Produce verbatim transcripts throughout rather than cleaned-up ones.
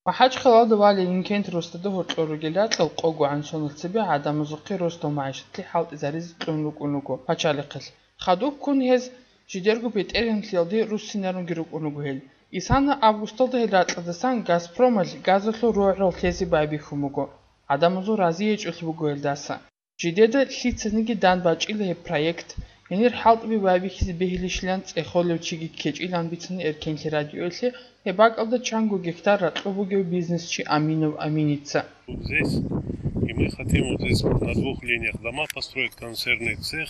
МахӀачхъалалда валей Инкент росдада гьоркьор ругел ракьал къогогӀан сонал цебе гӀадамазухъе росдал магӀишатлъи хӀалтӀизаризе кьун рукӀун руго пачалихъалъ. Хадуб ккун гьез жидерго бетӀергьанлъиялде руссинарунги рукӀун руго гьел. Исана августалда гьел ракьалдасан Газпромалъ газалъул рогӀрал лъезе байбихьун буго. ГӀадамазул разиячӀулъи буго гьелдаса. Жидеда лъицаниги дандбачӀила гьеб проект, гьенир хӀалтӀуби байбихьизе бегьилищилан цӀехолев чиги ккечӀилан бицана Эркенлъи радиоялъе гьеб бакӀалда чанго гектар ракьу бугев бизнесчи Аминов Аминица. Здесь, и мы хотим вот здесь вот на двух линиях дома построить, консервный цех.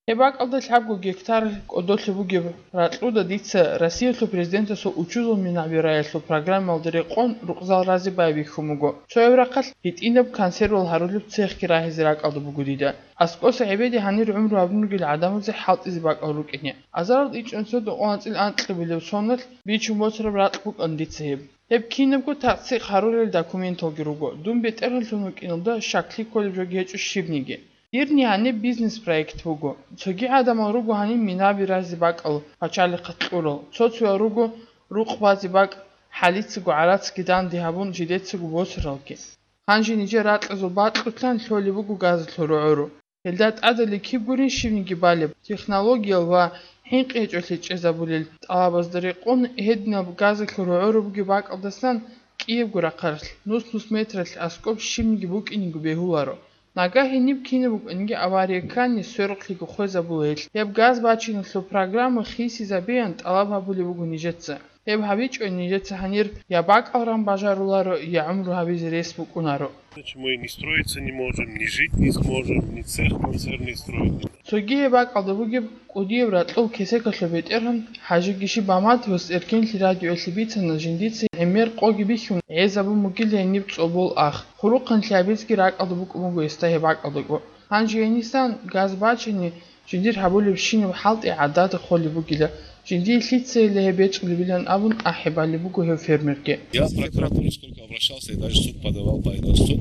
Гьеб бакӀалда лъабго гектар кӀодолъи бугеб ракьуда дица Россиялъул президентасул учузул минабираялъул программалда рекъон рукъзал рази байбихьун буго. Цояб рахъалъ гьитӀинаб консервал гьарулеб цехги рагьизе ракӀалда буго дида. АскӀоса гӀебеде гьанир гӀумру гьабун ругел гӀадамазе хӀалтӀизе бакӀал рукӀине. Азарал ичӀнусида анцӀил анкьабилеб соналъ бичун босараб ракь букӀана дица гьеб. Гьеб кинабго тасдикъ гьарулел документалги руго. Дун бетӀергьанлъун вукӀиналда щаклъи кколеб жоги гьечӀо щибниги. Дирни гьаниб бизнес-проект буго. Цоги гӀадамал руго гьаниб минаби разе бакӀал пачалихъалъ кьурал, цо-цоял руго рукъ базе бакӀ, хӀалицаго гӀарацги данде гьабун жидецаго босаралги. Гьанже нижер ракьазул бакьулъан лъолеб буго газалъул рогӀору. Гьелда тӀадали киб гурин щибниги балеб, технологиял ва хӀинкъи гьечӀолъи чӀезабулел тӀалабазда рекъон гьединаб газалъул рогӀору бугеб бакӀалдасан кӀиябго рахъалъ, нус-нус метралъ аскӀоб щибниги букӀинего бегьуларо. Нагагь гьениб кинаб букӀаниги авария ккани, сверухълъиго хвезабула гьелъ. Гьеб газ бачиналъул программа хисизабеян тӀалаб гьабулеб буго нижеца. Гьеб гьабичӀо нижеца гьанир я бакӀал ран бажаруларо, я гӀумру гьабизе рес букӀунаро. Иначе мы не строиться не можем, не жить не сможем, не цех консервный строить не можем. Цоги гьеб бакӀалда бугеб кӀудияб ракьул кесекалъул бетӀергьан ХӀажи Гиши Баматовас Эркенлъи радиоялъе бицана жиндица гӀемер къоги бихьун гӀезабун бугила гьениб цӀобол ах. Хурухъанлъи гьабизеги ракӀалда букӀун буго гьесда гьеб бакӀалдаго. Гьанже гьенисан газ бачани, жиндир гьабулебщинаб хӀалтӀи гӀадада холеб бугила, жиндие лъицайила гьеб бечӀулебилан абун ахӀи балеб буго гьев фермерги. Я в прокуратуру сколько обращался, и даже в суд подавал по этому, суд,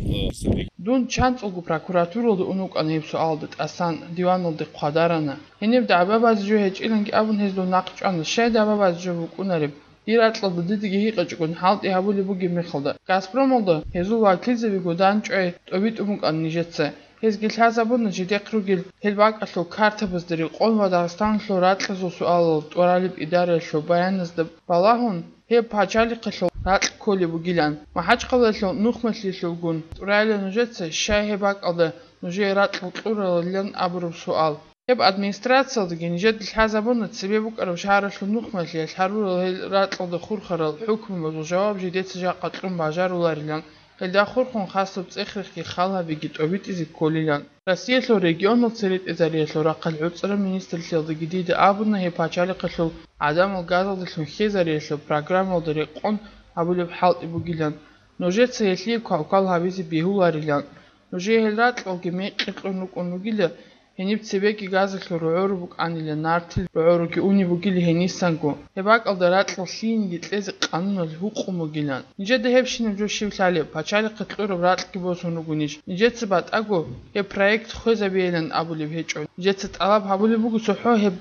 э, Дун чанцӀулго прокуратуралда ун вукӀана гьеб суалда тӀасан, диваналде хъвадарана. Гьениб дагӀба базе жо гьечӀиланги абун гьез дун нахъ чӀвана, щай дагӀба базе жо букӀунареб? Дир ракьалда дидеги гьикъичӀогун хӀалтӀи гьабулеб бугеб мехалда, Газпромалда гьезул вакилзабиго данчӀвай тӀобитӀун букӀана нижеца. Гьезги лъазабуна жидехъ ругел гьел бакӀалъул картабазда рекъон ва Дагъистаналъул ракьазул суалал тӀуралеб идараялъул баяназда балагьун, гьеб пачалихъалъул ракь кколеб бугилан. МахӀачхъалаялъул нухмалъиялъулгун тӀурайилан нужеца, щай гьеб бакӀалда нужее ракьал кьуралилан абураб суал. Гьеб администрациялдаги нижеда лъазабуна цебе букӀараб шагьаралъул нухмалъиялъ гьарурал гьел ракьалда хурхарал хӀукмубазул жаваб жидеца жакъа кьун бажаруларилан, гьелда хурхун хасаб цӀех-рехги хал гьабиги тӀобитӀизе кколилан. Россиялъул регионал церетӀезариялъул рахъалъ гӀуцӀараб министрлъиялдаги дида абуна гьеб пачалихъалъул гӀадамал газалдалъун хьезариялъул программалда рекъон гьабулеб хӀалтӀи бугилан, нужеца гьелъие квалквал гьабизе бегьуларилан. Нужее гьел ракьалги мекъи кьун рукӀун ругила, гьениб цебеги газалъул рогӀору букӀанила, нартил рогӀоруги унеб бугила гьенисанго. Гьеб бакӀалда ракьал лъиениги кьезе къануналъ гьукъун бугилан. Нижеда гьебщинаб жо щив лъалеб, пачалихъе кьураб ракьги босун ругонищ? Нижеца батӀаго гьеб проект хвезабейилан абулеб гьечӀо. Нижеца тӀалаб гьабулеб буго цохӀо гьеб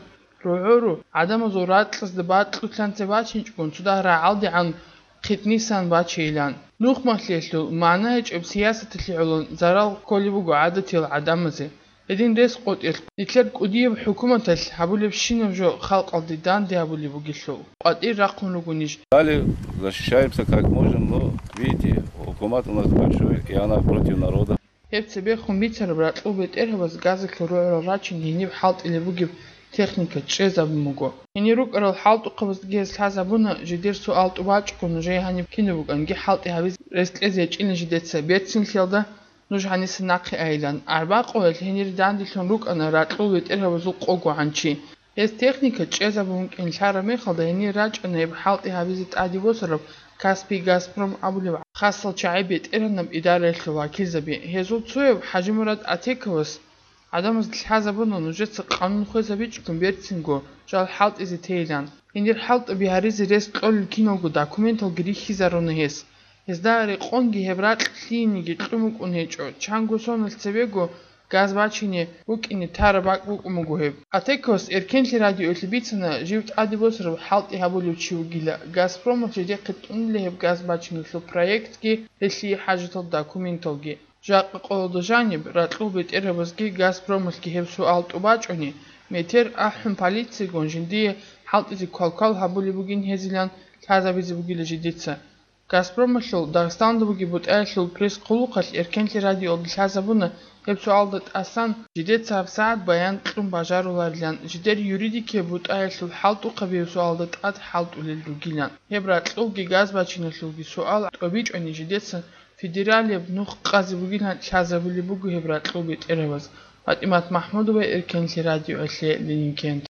рогӀору гӀадамазул ракьазда бакьулъанца бачинчӀогун цо дагь рагӀалдегӀан хъитӀнисан бачейилан. Нухмалъиялъул магӀна гьечӀеб сиясаталъе гӀоло зарал кколеб буго гӀадатиял гӀадамазе. Гьедин рес къотӀелъ, нилъер кӀудияб хӀукуматалъ гьабулебщинаб жо халкъалде данде гьабулеб бугелъул, къватӀир рахъун ругонищ? Далее защищаемся как можем, но, видите, хӀукумат у нас большой, и она против народа. Гьеб цебехун бицараб ракьул бетӀергьабаз газалъул рогӀорал рачин гьениб хӀалтӀилеб бугеб техника чӀезабун буго. Гьенир рукӀарал хӀалтӀухъабаздаги гьез лъазабуна, жидер суал тӀубачӀого нужее гьаниб кинаб букӀанги хӀалтӀи гьабизе рес кьезе ячӀина жидеца, берцинлъиялда нуж гьаниса нахъе айилан. Арбакъоялъ гьенир данделъун рукӀана ракьул бетӀергьабазул къого гӀанчи. Гьез техника чӀезабун вукӀин лъараб мехалда гьенир рачӀана гьеб хӀалтӀи гьабизе тӀаде босараб Каспий Газпром абулеб хасал чагӀи бетӀергьанаб идараялъул вакилзаби. Гьезул цояв ХӀажимурад Атековас гӀадамазда лъазабуна, нужеца къанун хвезабичӀогун берцинго жал хӀалтӀизе тейилан. Гьенир хӀалтӀаби гьаризе рес кьолел киналго документалги рихьизаруна гьес. Гьезда рекъонги гьеб ракь лъиениги кьун букӀун гьечӀо, чанго соналъ цебего газ бачине букӀине тараб бакӀ букӀун буго гьеб. Атекос Эркенлъи радиоялъе бицана жив тӀаде босараб хӀалтӀи гьабулев чи вугила, Газпромалъ жидехъе тӀунила гьеб газ бачиналъул проектги, гьелъие хӀажатал документалги. Жакъа къоялда жаниб, ракьул бетӀерабазги Газпромалъги гьеб суал тӀубачӀони, метер ахӀун полицияйгун жиндие хӀалтӀизе квалквал гьабулеб бугин гьезилан лъазабизе бугила жидеца. Газпромалъул Дагъистанда бугеб бутӀаялъул пресс-хъулухъалъ Эркенлъи радиоялда лъазабуна гьеб суалда тӀасан, жидеца гьабсагӀат баян кьун бажаруларилан, жидер юридикияб бутӀаялъул хӀалтӀухъабияб суалда тӀад хӀалтӀулел ругилан. Гьеб ракьулги газбачиналъулги суал тӀобичӀони жидеца федералияб нух къазе бугилан лъазабулеб буго гьеб ракьул бетӀерабаз. ПатӀимат МахӀмудова, Эркенлъи радиоялъе, Ленингент.